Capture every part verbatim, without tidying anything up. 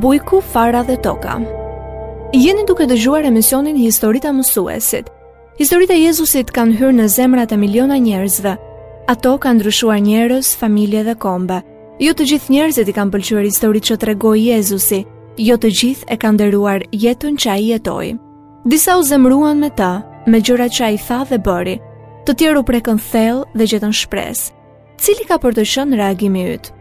Bujku, Fara dhe Toka. Jeni duke dëgjuar emisionin Historitë e Mësuesit. Historitë e Jezusit kanë hyrë në zemrat e miliona njerëzve. Ato kanë ndryshuar njerëz, familje dhe kombe. Jo të gjithë njerëzit i kanë pëlqyer historitë që tregoi Jezusi, jo të gjithë e kanë nderuar jetën që ai jetoi. Disa u zemëruan me të, me gjërat që ai tha dhe bëri. Të tjerë u prekën thellë dhe gjetën shpresë. Cili ka për të qenë reagimi yt?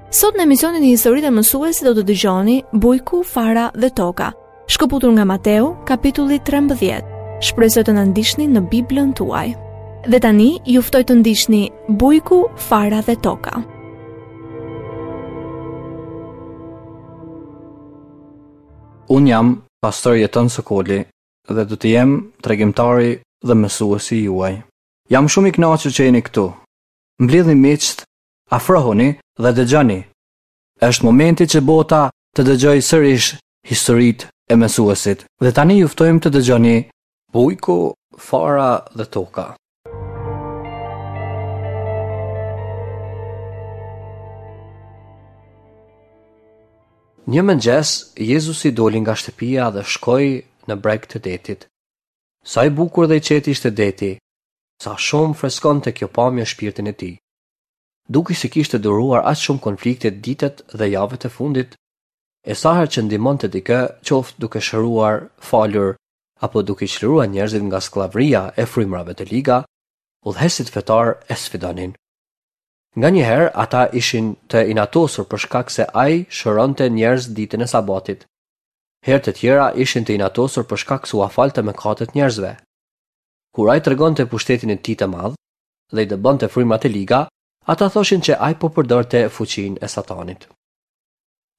Sot në emisionin e Historitë e Mësuesit do të dëgjoni Bujku, Fara dhe Toka, shkëputur nga Mateu, kapitulli trembëdhjetë. Shpresoj të na ndiqni në Biblën tuaj. Dhe tani ju ftoj të ndiqni Bujku, Fara dhe Toka. Unë jam pastor Jeton Sokoli dhe do të jem tregimtari dhe mësuesi juaj. Jam shumë i kënaqur që jeni këtu. Mblidhni miqtë, afrohuni dhe dëgjoni. Është momenti që bota të dëgjojë sërish historitë e mësuesit. Dhe tani ju ftojmë të dëgjoni Bujku, Fara dhe Toka. Një mëngjes, Jezusi doli nga shtëpia dhe shkoi në breg të detit. Sa i bukur dhe i qetë ishte deti, sa shumë freskonte kjo pamje shpirtin e tij. Duke se kishte duruar aq shumë konflikte ditët dhe javët e fundit, e sa herë që ndihmonte dikë, qoftë duke shëruar, falur apo duke i çliruar njerëzit nga skllavëria e frymërave të liga, udhëheqësit fetar e sfidonin. Nganjëherë ata ishin të inatosur për shkak se ai shëronte njerëz ditën e sabatit. Herë të tjera ishin të inatosur për shkak se ua falte mëkatet njerëzve. Kur ai tregonte pushtetin e tij të madh dhe i dëbonte frymrat e liga, ata thoshin që ai po përdorte fuqinë e Satanit.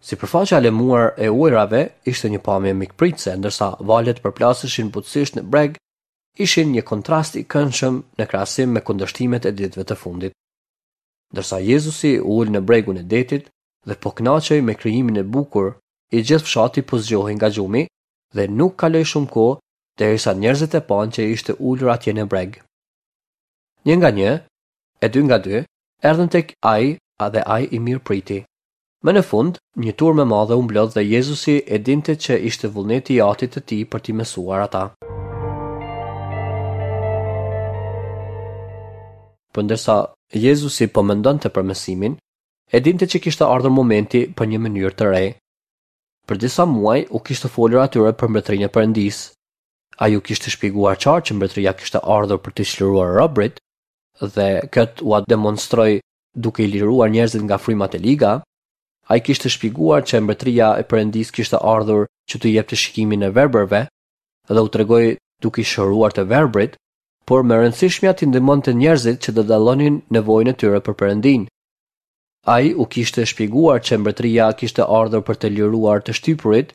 Sipërfaqja e lëmuar e ujërave ishte një pamje mikpritëse, ndërsa valët përplaseshin butësisht në breg, ishin një kontrast i këndshëm në krahasim me kundërshtimet e ditëve të fundit. Ndërsa Jezusi u ul në bregun e detit dhe po kënaqej me krijimin e bukur, i gjithë fshati po zgjohej nga gjumi dhe nuk kaloi shumë kohë derisa njerëzit e panë që ishte ulur atje në breg. Një nga një, e dy nga dy, erdhën tek ai dhe ai i mirëpriti. Më në fund, një turmë e madhe u mblodh dhe Jezusi e dinte që ishte vullneti i Atit të tij për t'i mësuar ata. Po ndërsa Jezusi po mendonte për mësimin, e dinte që kishte ardhur momenti për një mënyrë të re. Për disa muaj u kishte folur atyre për mbretërinë e Perëndisë. Ai u kishte shpjeguar qartë që mbretëria kishte ardhur për të çliruar robërit dhe këtë ua demonstroi duke i liruar njerëzit nga frymat e liga. Ai kishte shpjeguar që mbretëria e Perëndisë kishte ardhur që t'u jepte shikimin e verbërve dhe u tregoi duke i shëruar të verbrit, por më rëndësishmja t'i ndihmonte njerëzit që të dallonin nevojën e tyre për Perëndinë. Ai u kishte shpjeguar që mbretëria kishte ardhur për të liruar të shtypurit,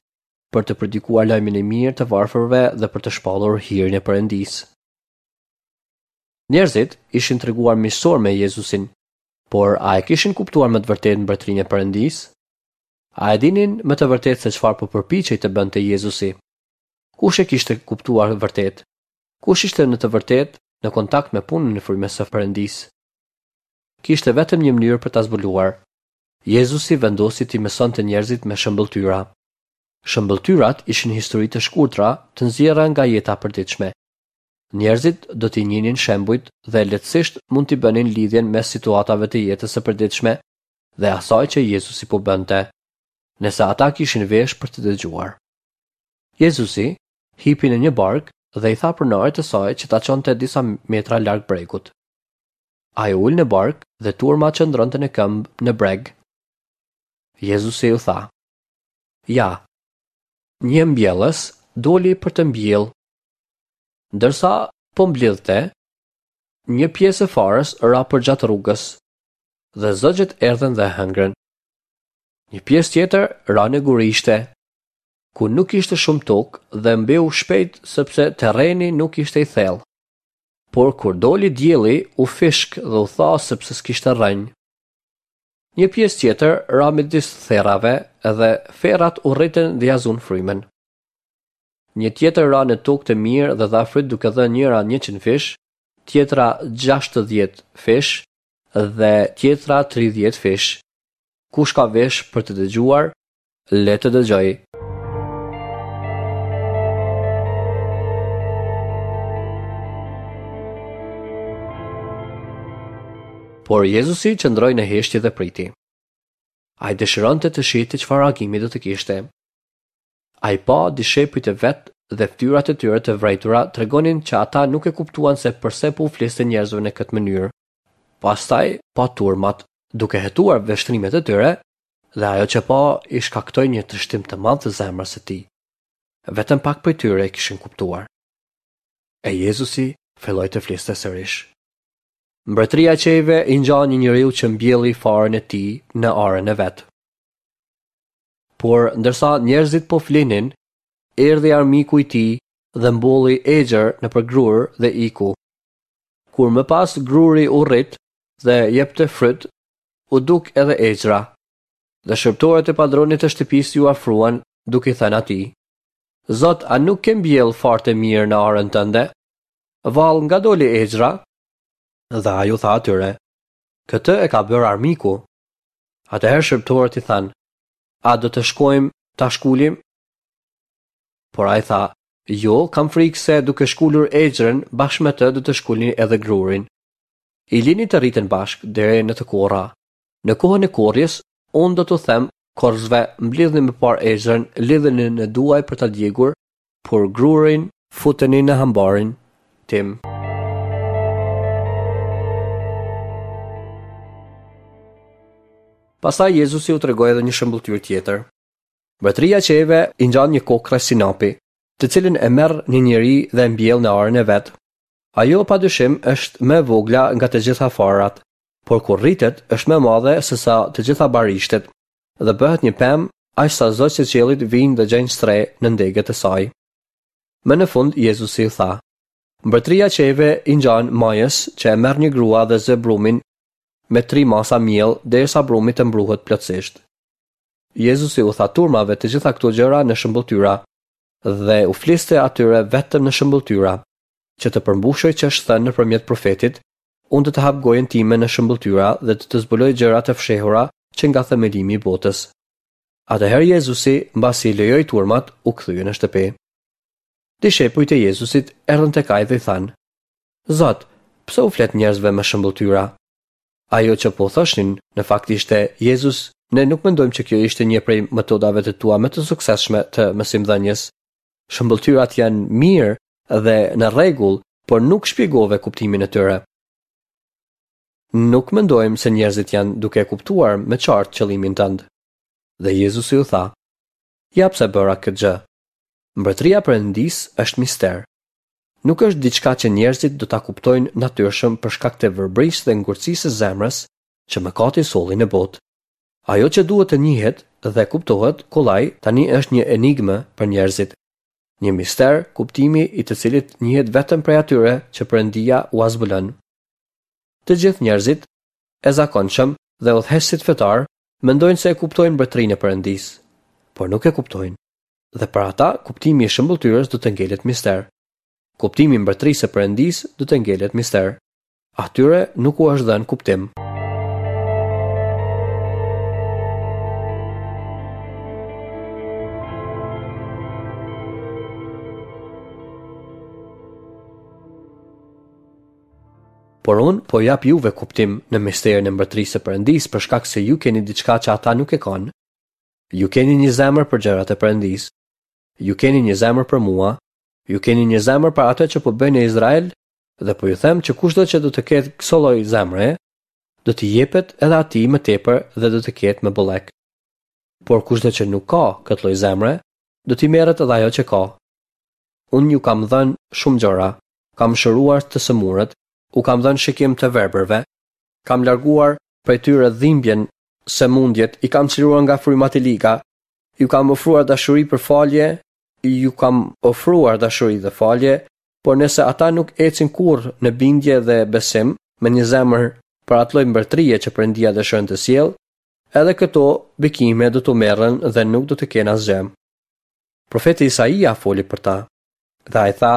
për të predikuar lajmin e mirë të varfërve dhe për të shpallur hirin e Perëndisë. Njerëzit ishin treguar miqësor me Jezusin, por a e kishin kuptuar me të vërtetë mbretërinë e Perëndisë? A e dinin me të vërtetë se çfarë po përpiqej të bënte Jezusi? Kush e kishte kuptuar vërtet? Kush ishte në të vërtetë në kontakt me punën e frymës së Perëndisë? Kishte vetëm një mënyrë për ta zbuluar. Jezusi vendosi t'i mësonte njerëzit me shëmbëlltyra. Shëmbëlltyrat ishin histori të shkurtra, të nxjerra nga jeta e përditshme. Njerëzit do t'i njihnin shembujt dhe lehtësisht mund t'i bënin lidhjen mes situatave të jetës së përditshme dhe asaj që Jezusi po bënte, nëse ata kishin vesh për të dëgjuar. Jezusi hipi në një barkë dhe i tha pronarit të saj që ta çonte disa metra larg bregut. Ai u ul në barkë dhe turma qëndronte në këmbë në breg. Jezusi u tha: "Ja, një mbjellës doli për të mbjellë. Ndërsa po mblidhte, një pjesë e farës ra përgjatë rrugës, dhe zogjët erdhën dhe hëngrën. Një pjesë tjetër ra në gurishte, ku nuk ishte shumë tokë dhe mbeu shpejt sepse terreni nuk ishte i thellë. Por kur doli dielli, u fishk dhe u tha sepse s'kishte rrënjë. Një pjesë tjetër ra midis therrave dhe ferrat u rritën dhe ja zunë frymën. Një tjetër ra në tokë të mirë dhe dha fryt duke dhënë njëra njëqind fish, tjetra gjashtëdhjetë fish dhe tjetra tridhjetë fish. Kush ka vesh për të dëgjuar, le të dëgjojë. Por Jezusi qëndroi në heshtje dhe priti. Ai dëshironte të shihte çfarë reagimi do të kishte. Ai pa dishepujt e vet dhe fytyrat e tyre të vrejtura tregonin që ata nuk e kuptuan se përse po u fliste njerëzve në këtë mënyrë. Pastaj pa turmat, duke hetuar vështrimet e tyre, dhe ajo që pa i shkaktoi një trishtim të madh të zemrës së tij. Vetëm pak prej tyre e kishin kuptuar. E Jezusi filloi të fliste sërish. Mbretëria e qiejve i ngjan një njeriu që mbjelli farën e tij në arën e vet. Por ndërsa njerëzit po flinin, erdhi armiku i tij dhe mbolli egjër nëpër grurë dhe iku. Kur më pas gruri u rrit dhe jepte fryt, u duk edhe egjra. Dhe shërbëtorët e padronit të shtëpisë iu afruan duke i thënë atij: Zot, a nuk ke mbjell farë të mirë në arën tënde? Vallë nga doli egjra? Dhe ai u tha atyre: Këtë e ka bërë armiku. Atëherë shërbëtorët i thanë: A do të shkojmë ta shkulim? Por ai tha: Jo, kam frikë se duke shkulur egjrën, bashkë me të do të shkulni edhe grurin. I lini të rriten bashkë deri në të korra. Në kohën e korrjes, unë do t'u them korrësve, mblidhni më parë egjrën, lidheni në duaj për ta djegur, por grurin futeni në hambarin tim. Pastaj Jezusi u tregoi edhe një shembulltyrë tjetër. Mbretëria e qiejve i ngjan një kokre sinapi, të cilën e merr një njeri dhe e mbjell në arën e vet. Ajo padyshim është më e vogla nga të gjitha farat, por kur rritet është më e madhe se sa të gjitha barishtet dhe bëhet një pemë aq sa zogjtë e qiellit vijnë dhe gjejnë strehë në ndegët e saj. Më në fund Jezusi u tha: Mbretëria e qiejve i ngjan majës që e merr një grua dhe zë brumin me tri masa miell derisa brumi të mbruhet plotësisht. Jezusi u tha turmave të gjitha këto gjëra në shembulltyra dhe u fliste atyre vetëm në shembulltyra, që të përmbushej që është thënë nëpërmjet profetit: Unë do të hap gojën time në shembulltyra dhe do të zbuloj gjëra të fshehura që nga themelimi i botës. Atëherë Jezusi, mbasi i lejoi turmat, u kthye në shtëpi. Dishepujt e Jezusit erdhën tek ai dhe i thanë: Zot, pse u flet njerëzve me shembulltyra? Ajo që po thoshin, në fakt ishte: Jezus, ne nuk mendojmë që kjo ishte një prej metodave të tua më të suksesshme të mësimdhënies. Shembulltyrat janë mirë dhe në rregull, por nuk shpjegove kuptimin e tyre. Nuk mendojmë se njerëzit janë duke e kuptuar me qartë qëllimin tënd. Dhe Jezusi u tha: Ja pse bëra këtë gjë. Mbretëria e Perëndisë është mister. Nuk është diçka që njerëzit do ta kuptojnë natyrshëm për shkak të verbërisë dhe ngurtësisë së zemrës që mëkati solli në botë. Ajo që duhet të njihet dhe kuptohet kollaj tani është një enigmë për njerëzit. Një mister, kuptimi i të cilit njihet vetëm prej atyre që Perëndia ua zbulon. Të gjithë njerëzit e zakonshëm dhe udhëheqësit fetar mendojnë se e kuptojnë mbretërinë e Perëndisë, por nuk e kuptojnë. Dhe për ata kuptimi i shembulltyrës do të ngelet mister. Kuptimi i mbretërisë së Perëndisë do të ngelet mister. Atyre nuk u është dhënë kuptim. Por unë po jap juve kuptim në misterin e mbretërisë së Perëndisë për shkak se ju keni diçka që ata nuk e kanë. Ju keni një zemër për gjërat e Perëndisë. Ju keni një zemër për mua. Ju keni një zemër për atë që po bëj në Izrael dhe po ju them që kushdo që do të ketë këso lloj zemre, do t'i jepet edhe atij më tepër dhe do të ketë më bollek. Por kushdo që nuk ka këtë lloj zemre, do t'i merret edhe ajo që ka. Unë ju kam dhënë shumë gjëra, kam shëruar të sëmurët, u kam dhënë shikim të verbërve, kam larguar prej tyre dhimbjen, sëmundjet, i kam çliruar nga frymat e liga, ju kam ofruar dashuri për falje, ju kam ofruar dashuri dhe falje, por nëse ata nuk ecin kurrë në bindje dhe besim me një zemër për atë lloj mbretërie që Perëndia dëshiron të sjellë, edhe këto bekime do t'u merren dhe nuk do të kenë asgjë. Profeti Isaia foli për ta, dhe ai tha: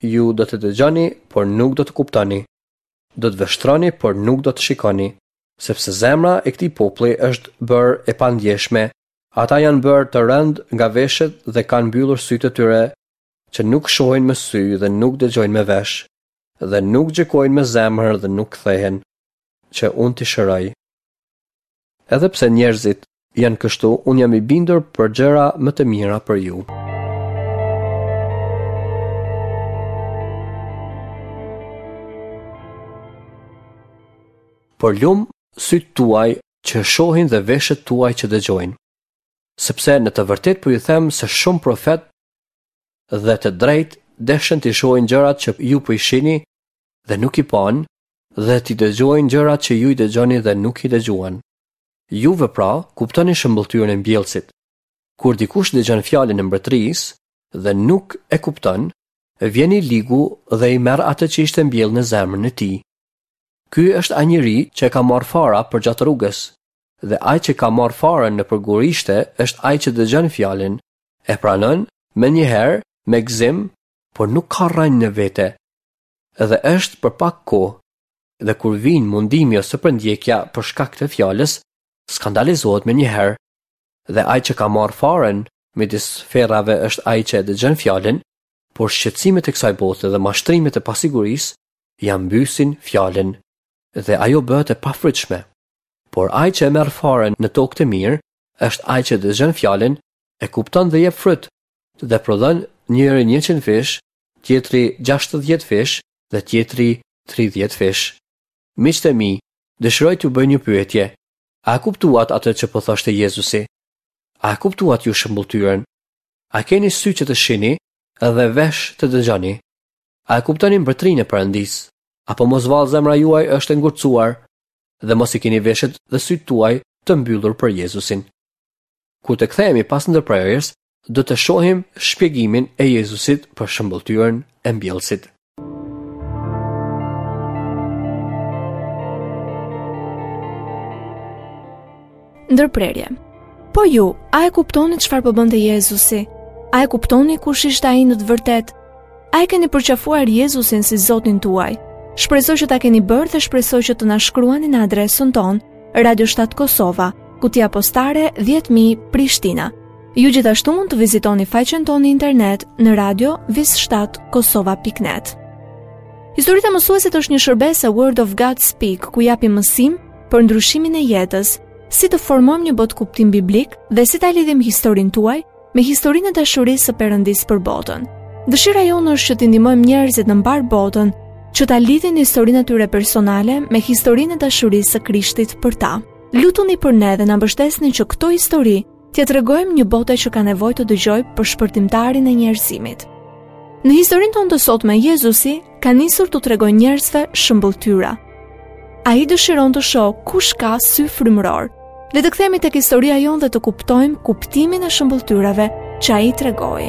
Ju do të dëgjoni, por nuk do të kuptoni. Do të vështroni, por nuk do të shikoni, sepse zemra e këtij populli është bërë e pandjeshme, Ata janë bërë të rëndë nga veshët dhe kanë mbyllur sytë e tyre, që nuk shohin me sy dhe nuk dëgjojnë me vesh, dhe nuk gjykojnë me zemër dhe nuk kthehen, që unë t'i shëroj. Edhe pse njerëzit janë kështu, unë jam i bindur për gjëra më të mira për ju. Por lum sytë tuaj që shohin dhe veshët tuaj që dëgjojnë. Sepse në të vërtetë po ju them se shumë profet dhe të drejtë deshën t'i shohin gjërat që ju po i shihni dhe nuk i panë, dhe t'i dëgjojnë gjërat që ju i dëgjoni dhe nuk i dëgjuan. Juve pra, kuptoni shëmbëlltyrën e mbjellësit. Kur dikush dëgjon fjalën e mbretërisë dhe nuk e kupton, vjen i ligu dhe i merr atë që ishte mbjellë në zemrën e tij. Ky është ai njeri që e ka marrë fara përgjatë rrugës, dhe ai që ka marrë farën nëpër gurishte është ai që dëgjon fjalën, e pranon menjëherë me gëzim, por nuk ka rrënjë në vete, dhe është për pak kohë, dhe kur vijnë mundimi ose përndjekja për shkak të fjalës, skandalizohet menjëherë, dhe ai që ka marrë farën midis ferrave është ai që e dëgjon fjalën, por shqetësimet e kësaj bote dhe mashtrimet e pasigurisë ia mbysin fjalën, dhe ajo bëhet e pafrytshme. Por ai që e merr farën në tokë të mirë është ai që dëgjon fjalën, e kupton dhe jep fryt, dhe prodhon njëri njëqind fish, tjetri gjashtëdhjetë fish dhe tjetri tridhjetë fish. Miqtë e mi, dëshiroj t'ju bëj një pyetje. A e kuptuat atë që po thoshte Jezusi? A e kuptuat ju shëmbëlltyrën? A keni sy që të shihni dhe vesh të dëgjoni? A e kuptoni mbretërinë e Perëndisë? Apo mos vallë zemra juaj është e ngurtësuar dhe mos i keni veshët dhe sytë tuaj të mbyllur për Jezusin? Kur të kthehemi pas ndërprerjes, do të shohim shpjegimin e Jezusit për shëmbëlltyrën e mbjellësit. Ndërprerje. Po ju, a e kuptoni çfarë po bënte Jezusi? A e kuptoni kush ishte ai në të vërtetë? A e keni përqafuar Jezusin si Zotin tuaj? Shpresoj që ta keni bërë dhe shpresoj që të na shkruani në adresën tonë, Radio shtatë Kosova, kutia postare dhjetë mijë Prishtina. Ju gjithashtu mund të vizitoni faqen tonë në internet në radio vis shtatë kosova pikë net. Historitë e mësuesit është një shërbesë e Word of God Speak, ku japim mësim për ndryshimin e jetës, si të formojmë një botëkuptim biblik dhe si ta lidhim historinë tuaj me historinë e dashurisë së Perëndisë për botën. Dëshira jonë është që t'i ndihmojmë njerëzit në mbarë botën që ta lidhin historinë e tyre personale me historinë e dashurisë së Krishtit për ta. Lutuni për ne dhe na mbështesni që këto histori t'ia tregojmë një bote që ka nevojë të dëgjojë për shpëtimtarin e njerëzimit. Në historinë tonë të sotme, Jezusi ka nisur t'u tregojë njerëzve shëmbëlltyra. Ai dëshiron të shohë kush ka sy frymëror. Le të kthehemi tek historia jonë dhe të kuptojmë kuptimin e shëmbëlltyrave që ai tregoi.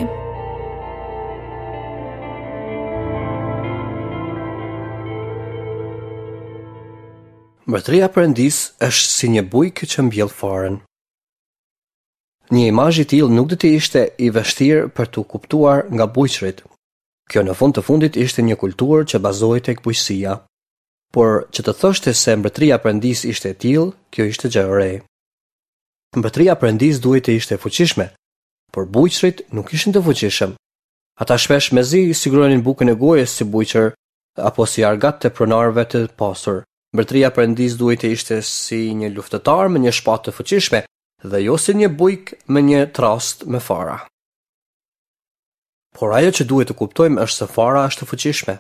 Mbretëria e Perëndisë është si një bujk që mbjell farën. Një imazh i tillë nuk do të ishte i vështirë për t'u kuptuar nga bujqërit. Kjo në fund të fundit ishte një kulturë që bazohej tek bujqësia. Por që të thoshte se mbretëria e Perëndisë ishte e tillë, kjo ishte gjë e re. Mbretëria e Perëndisë duhej të ishte e fuqishme, por bujqërit nuk ishin të fuqishëm. Ata shpesh mezi siguronin bukën e gojës si bujqër apo si argat të pronarëve të pasur. Mbretëria e Perëndisë duhej të ishte si një luftëtar me një shpatë të fuqishme dhe jo si një bujk me një trast me fara. Por ajo që duhet të kuptojmë është se fara është e fuqishme.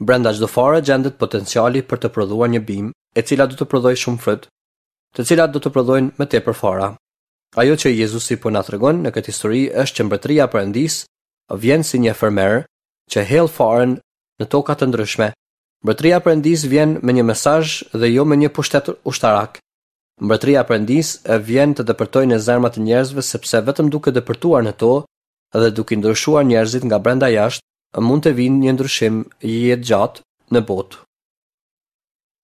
Brenda çdo fare gjendet potenciali për të prodhuar një bimë, e cila do të prodhojë shumë fryt, të cilat do të prodhojnë më tepër fara. Ajo që Jezusi po na tregon në këtë histori është që mbretëria e Perëndisë vjen si një fermer që hell farën në toka të ndryshme. Mbretëria e Perëndisë vjen me një mesazh dhe jo me një pushtet ushtarak. Mbretëria e Perëndisë vjen të depërtojë në zemrat e njerëzve sepse vetëm duke depërtuar në to dhe duke ndryshuar njerëzit nga brenda jashtë, mund të vinë një ndryshim jetëgjatë në botë.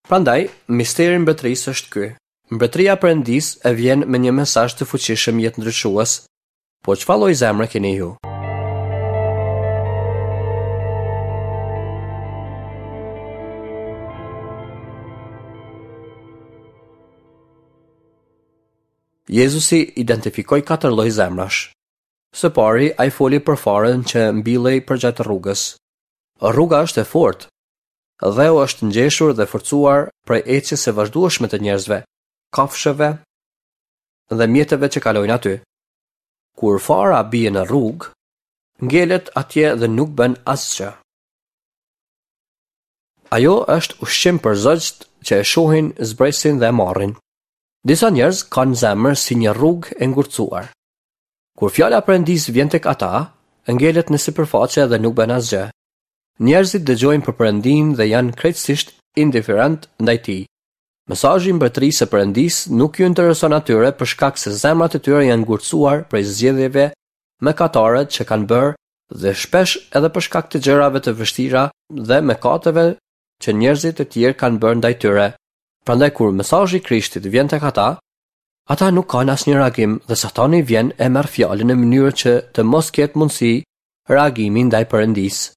Prandaj, misteri i mbretërisë është ky. Mbretëria e Perëndisë e vjen me një mesazh të fuqishëm jetëndryshues, por çfarë lloj zemre keni ju? Jezusi identifikoi katër lloj zemrash. Së pari, ai foli për farën që mbillej përgjatë rrugës. Rruga është e fortë. Dheu është ngjeshur dhe forcuar prej ecjes së vazhdueshme të njerëzve, kafshëve dhe mjeteve që kalojnë aty. Kur fara bie në rrugë, ngelet atje dhe nuk bën asgjë. Ajo është ushqim për zogjtë që e shohin, zbresin dhe e marrin. Disa njerëz kanë zemër si një rrugë e ngurtësuar. Kur fjala e Perëndisë vjen tek ata, ngelet në sipërfaqe dhe nuk bën asgjë. Njerëzit dëgjojnë për Perëndinë dhe janë krejtësisht indiferent ndaj tij. Mesazhi i mbretërisë së Perëndisë nuk ju intereson atyre për shkak se zemrat e tyre janë ngurtësuar prej zgjedhjeve mëkatare që kanë bërë dhe shpesh edhe për shkak të gjërave të vështira dhe mëkateve që njerëzit e tjerë kanë bërë ndaj tyre. Prandaj kur mesazhi i Krishtit vjen tek ata, ata nuk kanë asnjë reagim dhe Satani vjen e merr fjalën në mënyrë që të mos ketë mundësi reagimi ndaj Perëndisë.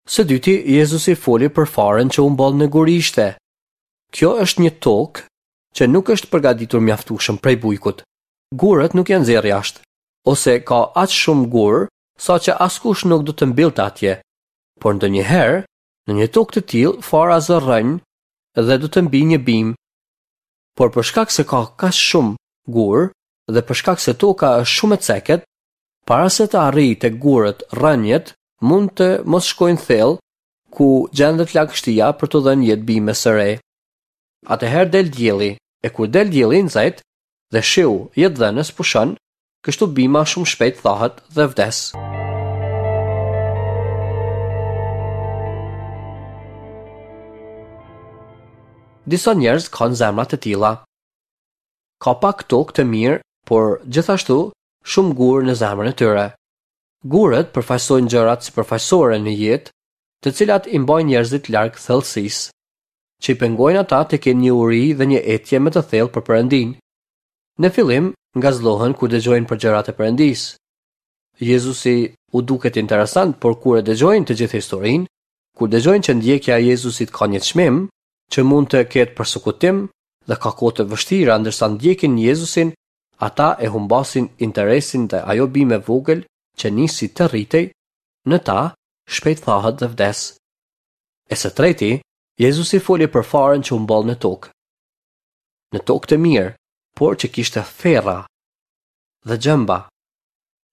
Së dyti, Jezusi foli për farën që u mboll në gurishte. Kjo është një tokë që nuk është përgatitur mjaftueshëm prej bujkut. Gurët nuk janë nxjerrë jashtë, ose ka aq shumë gurë sa që askush nuk do të mbyllte atje. Por ndonjëherë, në një tokë të tillë, fara zë rrënjë dhe do të mbijë një bimë. Por për shkak se ka kaq shumë gurë dhe për shkak se toka është shumë e cekët, para se të arrijë tek gurët, rrënjët mund të mos shkojnë thellë ku gjendet lagështia për të dhënë jetë bimës së re. Atëherë del dielli, e kur del dielli i nxehtë dhe shiu jetëdhënës pushon, kështu bima shumë shpejt thahet dhe vdes. Disa njerëz kanë zemra të tilla. Ka pak tokë të mirë, por gjithashtu shumë gurë në zemrën e tyre. Gurët përfaqësojnë gjërat sipërfaqësore në jetë, të cilat i mbajnë njerëzit larg thellësisë, që i pengojnë ata të kenë një uri dhe një etje më të thellë për Perëndinë. Në fillim, ngazllohen kur dëgjojnë për gjërat e Perëndisë. Jezusi u duket interesant, por kur e dëgjojnë të gjithë historinë, kur dëgjojnë që ndjekja e Jezusit ka një çmim, që mund të ketë persekutim dhe ka kohë të vështira ndërsa ndjekin Jezusin, ata e humbasin interesin dhe ajo bimë e vogël që nisi të rritej, në ta shpejt thahet dhe vdes. E së treti, Jezusi foli për farën që u mboll në tokë. Në tokë të mirë, por që kishte ferra dhe gjemba.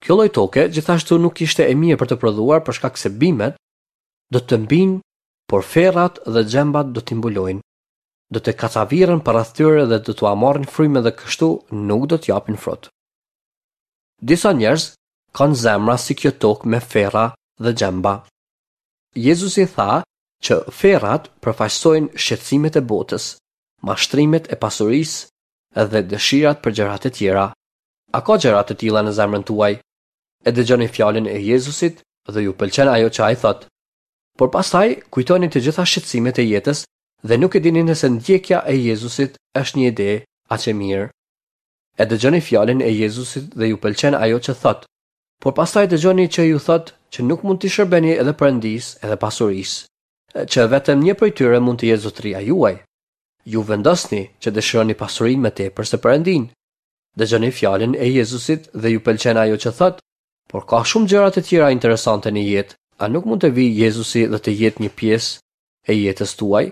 Kjo lloj toke gjithashtu nuk ishte e mirë për të prodhuar për shkak se bimet do të mbijnë, por ferrat dhe gjembat do t'i mbulojnë. Do të kacavirren përreth tyre dhe do t'ua marrin frymën dhe kështu nuk do t'japin frut. Disa njerëz kanë zemra si kjo tokë me ferra dhe gjemba. Jezusi tha që ferrat përfaqësojnë shqetësimet e botës, mashtrimet e pasurisë dhe dëshirat për gjërat e tjera. A ka gjëra të tilla në zemrën tuaj? E dëgjoni fjalën e Jezusit dhe ju pëlqen ajo që ai thotë. Por pastaj kujtoni të gjitha shqetësimet e jetës dhe nuk e dini nëse ndjekja e Jezusit është një ide aq e mirë. E dëgjoni fjalën e Jezusit dhe ju pëlqen ajo që thotë, por pastaj dëgjoni që ju thotë që nuk mund t'i shërbeni edhe Perëndisë edhe pasurisë, që vetëm një prej tyre mund të jetë zotëria juaj. Ju vendosni që dëshironi pasurinë më tepër se Perëndinë. Dëgjoni fjalën e Jezusit dhe ju pëlqen ajo që thotë, por ka shumë gjëra të tjera interesante në jetë. A nuk mund të vijë Jezusi dhe të jetë një pjesë e jetës tuaj?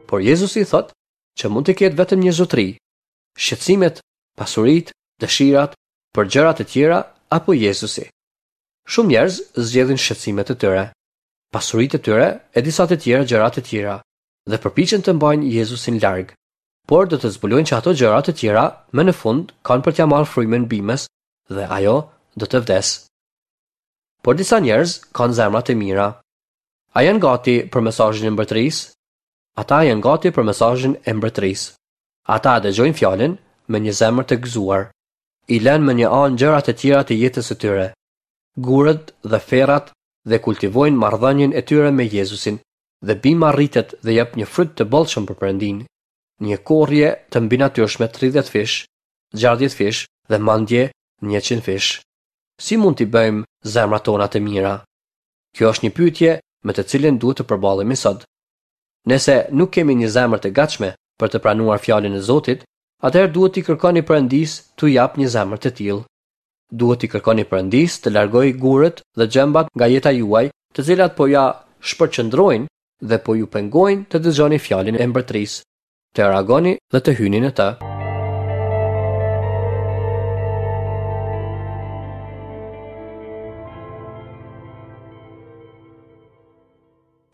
Por Jezusi thotë që mund të ketë vetëm një zotëri. Shqetësimet, pasuritë, dëshirat për gjërat e tjera apo Jezusi. Shumë njerëz zgjedhin shqetësimet e tyre, pasuritë e tyre e disa të tjera gjëra të tjera dhe përpiqen të mbajnë Jezusin larg. Por do të zbulojnë që ato gjëra të tjera më në fund kanë për t'ia marrë frymën bimës dhe ajo do të vdes. Por disa njerëz kanë zemra të mira. A janë gati për mesazhin e mbretërisë? Ata janë gati për mesazhin e mbretërisë. Ata e dëgjojnë fjalën me një zemër të gëzuar. I lënë më një anë gjërat e tjera të jetës së tyre, gurët dhe ferrat dhe kultivojnë marrëdhënien e tyre me Jezusin, dhe bima rritet dhe jep një fryt të bollshëm për Perëndinë, një korrje të mbinatyrshme tridhjetë fish, gjashtëdhjetë fish dhe mandje njëqind fish. Si mund t'i bëjmë zemrat tona të mira? Kjo është një pyetje me të cilën duhet të përballemi sot. Nëse nuk kemi një zemër të gatshme për të pranuar fjalën e Zotit, atëherë duhet t'i kërkoni Perëndisë t'ju japë një zemër të tillë. Duhet t'i kërkoni Perëndisë të largojë gurët dhe gjembat nga jeta juaj, të cilat po ja shpërqendrojnë dhe po ju pengojnë të dëgjoni fjalën e mbretërisë, të reagoni dhe të hyni në të.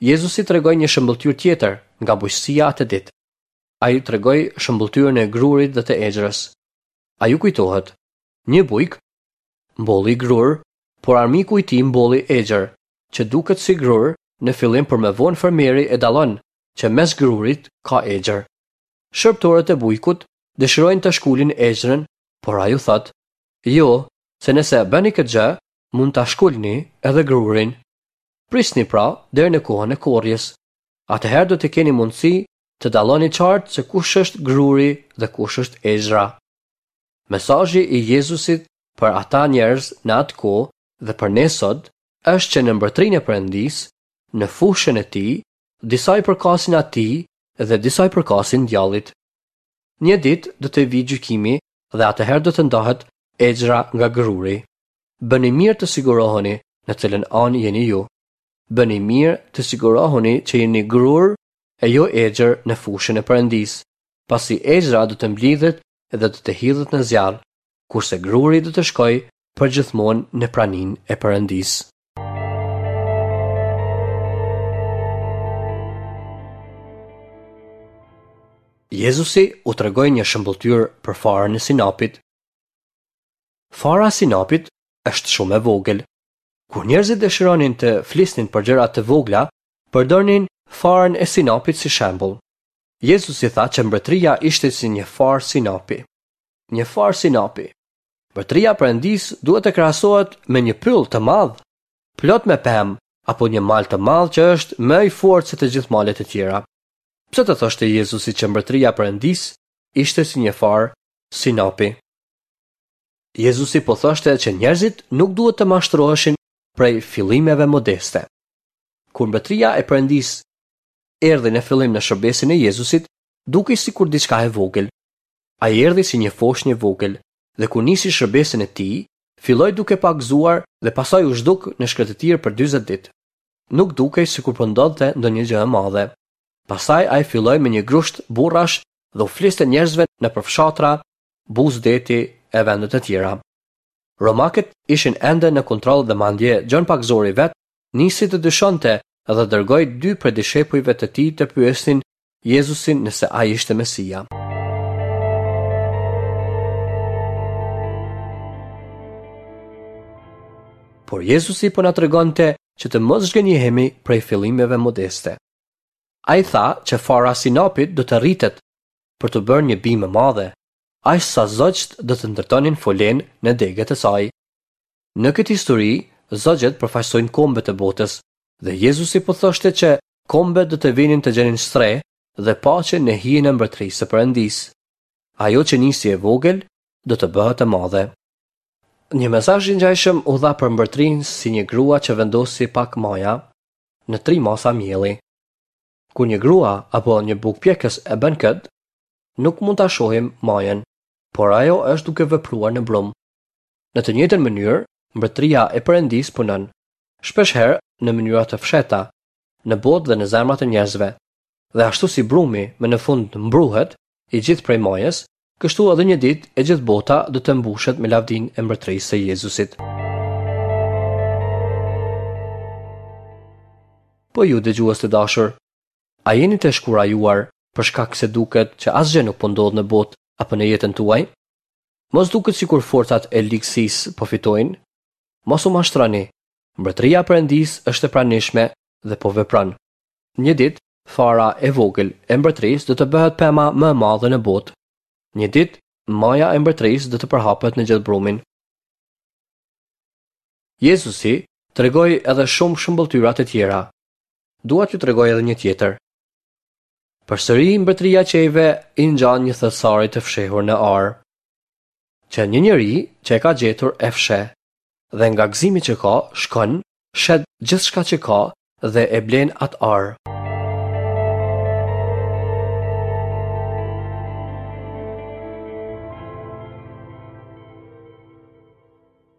Jezusi tregoi një shëmbëlltyrë tjetër nga bujqësia atë ditë. Ai tregoi shëmbëlltyrën e grurit dhe të egjrës. A ju kujtohet? Një bujk mbolli grur, por armiku i tij mbolli egjër, që duket si grur në fillim, por më vonë fermeri e dallon që mes grurit ka egjër. Shërbëtorët e bujkut dëshirojnë të shkulin egjrën, por ai u thotë: "Jo, se nëse e bëni këtë gjë, mund ta shkulni edhe grurin. Prisni pra deri në kohën e korrjes. Atëherë do të keni mundësi të dalloni qartë se kush është gruri dhe kush është egjra." Mesazhi i Jezusit për ata njerëz në atë kohë dhe për ne sot është që në mbretërinë e Perëndisë, në fushën e tij, disa i përkasin atij dhe disa i përkasin djallit. Një ditë do të vijë gjykimi dhe atëherë do të ndahet egjra nga gruri. Bëni mirë të siguroheni në cilën anë jeni ju. Bëni mirë të siguroheni që jeni grur e jo egjër në fushën e Perëndisë, pasi egjra do të mblidhet dhe do të hidhet në zjarr, kurse gruri do të shkojë përgjithmonë në praninë e Perëndisë. Jezusi u tregoi një shëmbëlltyrë për farën e sinapit. Fara e sinapit është shumë e vogël. Kur njerëzit dëshironin të flisnin për gjëra të vogla, përdornin farën e sinapit si shembull. Jezusi tha që mbretëria ishte si një farë sinapi. Një farë sinapi. Mbretëria e Perëndisë duhet të krahasohet me një pyll të madh, plot me pemë, apo një mal të madh që është më i fortë se të gjithë malet e tjera. Pse të thoshte Jezusi që mbretëria e Perëndisë ishte si një farë sinapi? Jezusi po thoshte që njerëzit nuk duhet të mashtroheshin prej fillimeve modeste. Kur mbretëria e Perëndisë erdhi në fillim në shërbesën e Jezusit, dukej sikur diçka e vogël. Ai erdhi si një foshnjë e vogël dhe kur nisi shërbesën e tij, filloi duke pagëzuar dhe pastaj u zhduk në shkretëtirë për dyzet ditë. Nuk dukej sikur po ndodhte ndonjë gjë e madhe. Pastaj ai filloi me një grusht burrash dhe u fliste njerëzve nëpër fshatra, buzë deti e vende të tjera. Romakët ishin ende në kontroll dhe madje Gjon Pagëzori vet nisi të dyshonte dhe dërgoi dy prej dishepujve të tij të pyesnin Jezusin nëse ai ishte Mesia. Por Jezusi po na tregonte që të mos zhgënjehemi prej fillimeve modeste. Ai tha që fara sinapit do të rritet për të bërë një bimë e madhe, aq sa zogjt do të ndërtonin folen në degët e saj. Në këtë histori, zogjët përfaqësojnë kombet e botës, dhe Jezusi po thoshte që kombet do të vinin të gjenin strehë dhe paqe në hijen e mbretërisë së Perëndisë. Ajo që nisi e vogël do të bëhet e madhe. Një mesazh i ngjashëm u dha për mbretërinë si një grua që vendosi pak maja në tri masa mielli. Kur një grua apo një bukëpjekës e bën këtë, nuk mund ta shohim majën, por ajo është duke vepruar në brum. Në të njëjtën mënyrë, mbretëria e Perëndisë punon, shpeshherë në mënyra të fshehta, në botë dhe në zemrat e njerëzve. Dhe ashtu si brumi më në fund mbruhet i gjithë prej majës, kështu edhe një ditë e gjithë bota do të mbushet me lavdinë e mbretërisë së Jezusit. Po ju dëgjues të dashur, a jeni të shkurajuar për shkak se duket që asgjë nuk po ndodh në botë apo në jetën tuaj? Mos duket sikur forcat e ligësisë po fitojnë? Mos u mashtroni. Mbretëria e Perëndisë është e pranishme dhe po vepron. Një ditë, fara e vogël e mbretërisë do të bëhet pema më e madhe në botë. Një ditë, maja e mbretërisë do të përhapet në gjithë brumin. Jezusi tregoi edhe shumë shëmbëlltyra të tjera. Dua t'ju tregoj edhe një tjetër. Përsëri mbretëria e qiejve i ngjan një thesari të fshehur në arë, që një njeri që e ka gjetur e fsheh, dhe nga gëzimi që ka, shkon, shet gjithçka që ka dhe e blen atë arë.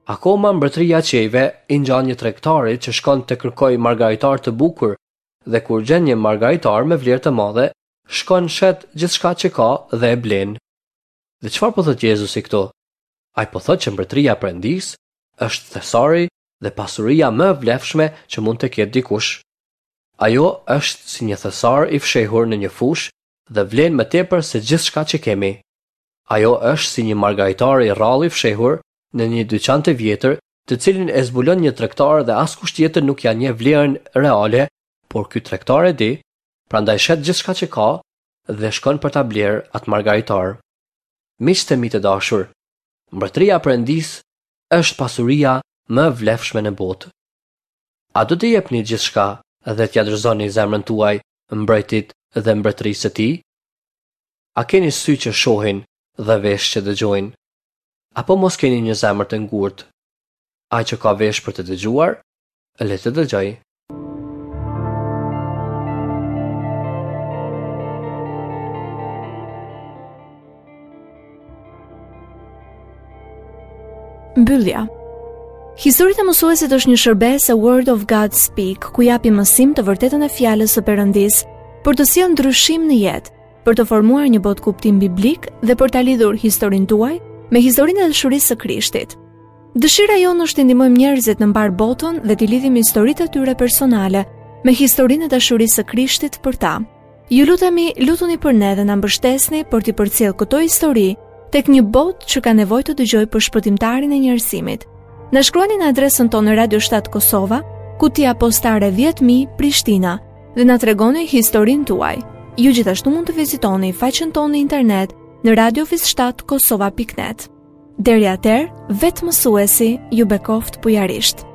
Akoma mbretëria e qiejve i ngjan një tregtari që shkon të kërkojë margaritar të bukur dhe kur gjen një margaritar me vlerë të madhe, shkon shet gjithçka që ka dhe e blen. Dhe çfarë po thotë Jezusi këtu? Ai po thotë që mbretëria e Perëndisë është thesari dhe pasuria më e vlefshme që mund të ketë dikush. Ajo është si një thesar i fshehur në një fushë dhe vlen më tepër se gjithçka që kemi. Ajo është si një margaritar i rrallë i fshehur në një dyqan të vjetër, të cilin e zbulon një tregtar dhe askush tjetër nuk ia njeh vlerën reale, por ky tregtar e di, prandaj shet gjithçka që ka dhe shkon për ta blerë atë margaritar. Miqtë e mi të dashur, mbretëria e Perëndisë është pasuria më e vlefshme në botë. A do të jepni gjithçka dhe t'ia dorëzoni zemrën tuaj mbretit dhe mbretërisë së tij? A keni sy që shohin dhe vesh që dëgjojnë? Apo mos keni një zemër të ngurtë? Ai që ka vesh për të dëgjuar, le të dëgjojë. Mbyllja. Historitë e mësuesit është një shërbesë e Word of God Speak, ku japim mësim të vërtetën e fjalës së Perëndisë për të sjellë ndryshim në jetë, për të formuar një botëkuptim biblik dhe për ta lidhur historinë tuaj me historinë e dashurisë së Krishtit. Dëshira jonë është të ndihmojmë njerëzit në mbarë botën dhe t'i lidhim historitë e tyre personale me historinë e dashurisë së Krishtit për ta. Ju lutemi, lutuni për ne dhe na mbështesni për t'i përcjellë këto histori tek një botë që ka nevojë të dëgjojë për shpëtimtarin e njerëzimit. Na shkruani në adresën tonë Radio shtatë Kosova, kutia postare dhjetë mijë Prishtina dhe na tregoni historinë tuaj. Ju gjithashtu mund të vizitoni faqen tonë në internet në radio shtatë kosova pikë net. Deri atëherë, vetë mësuesi ju bekoftë bujarisht.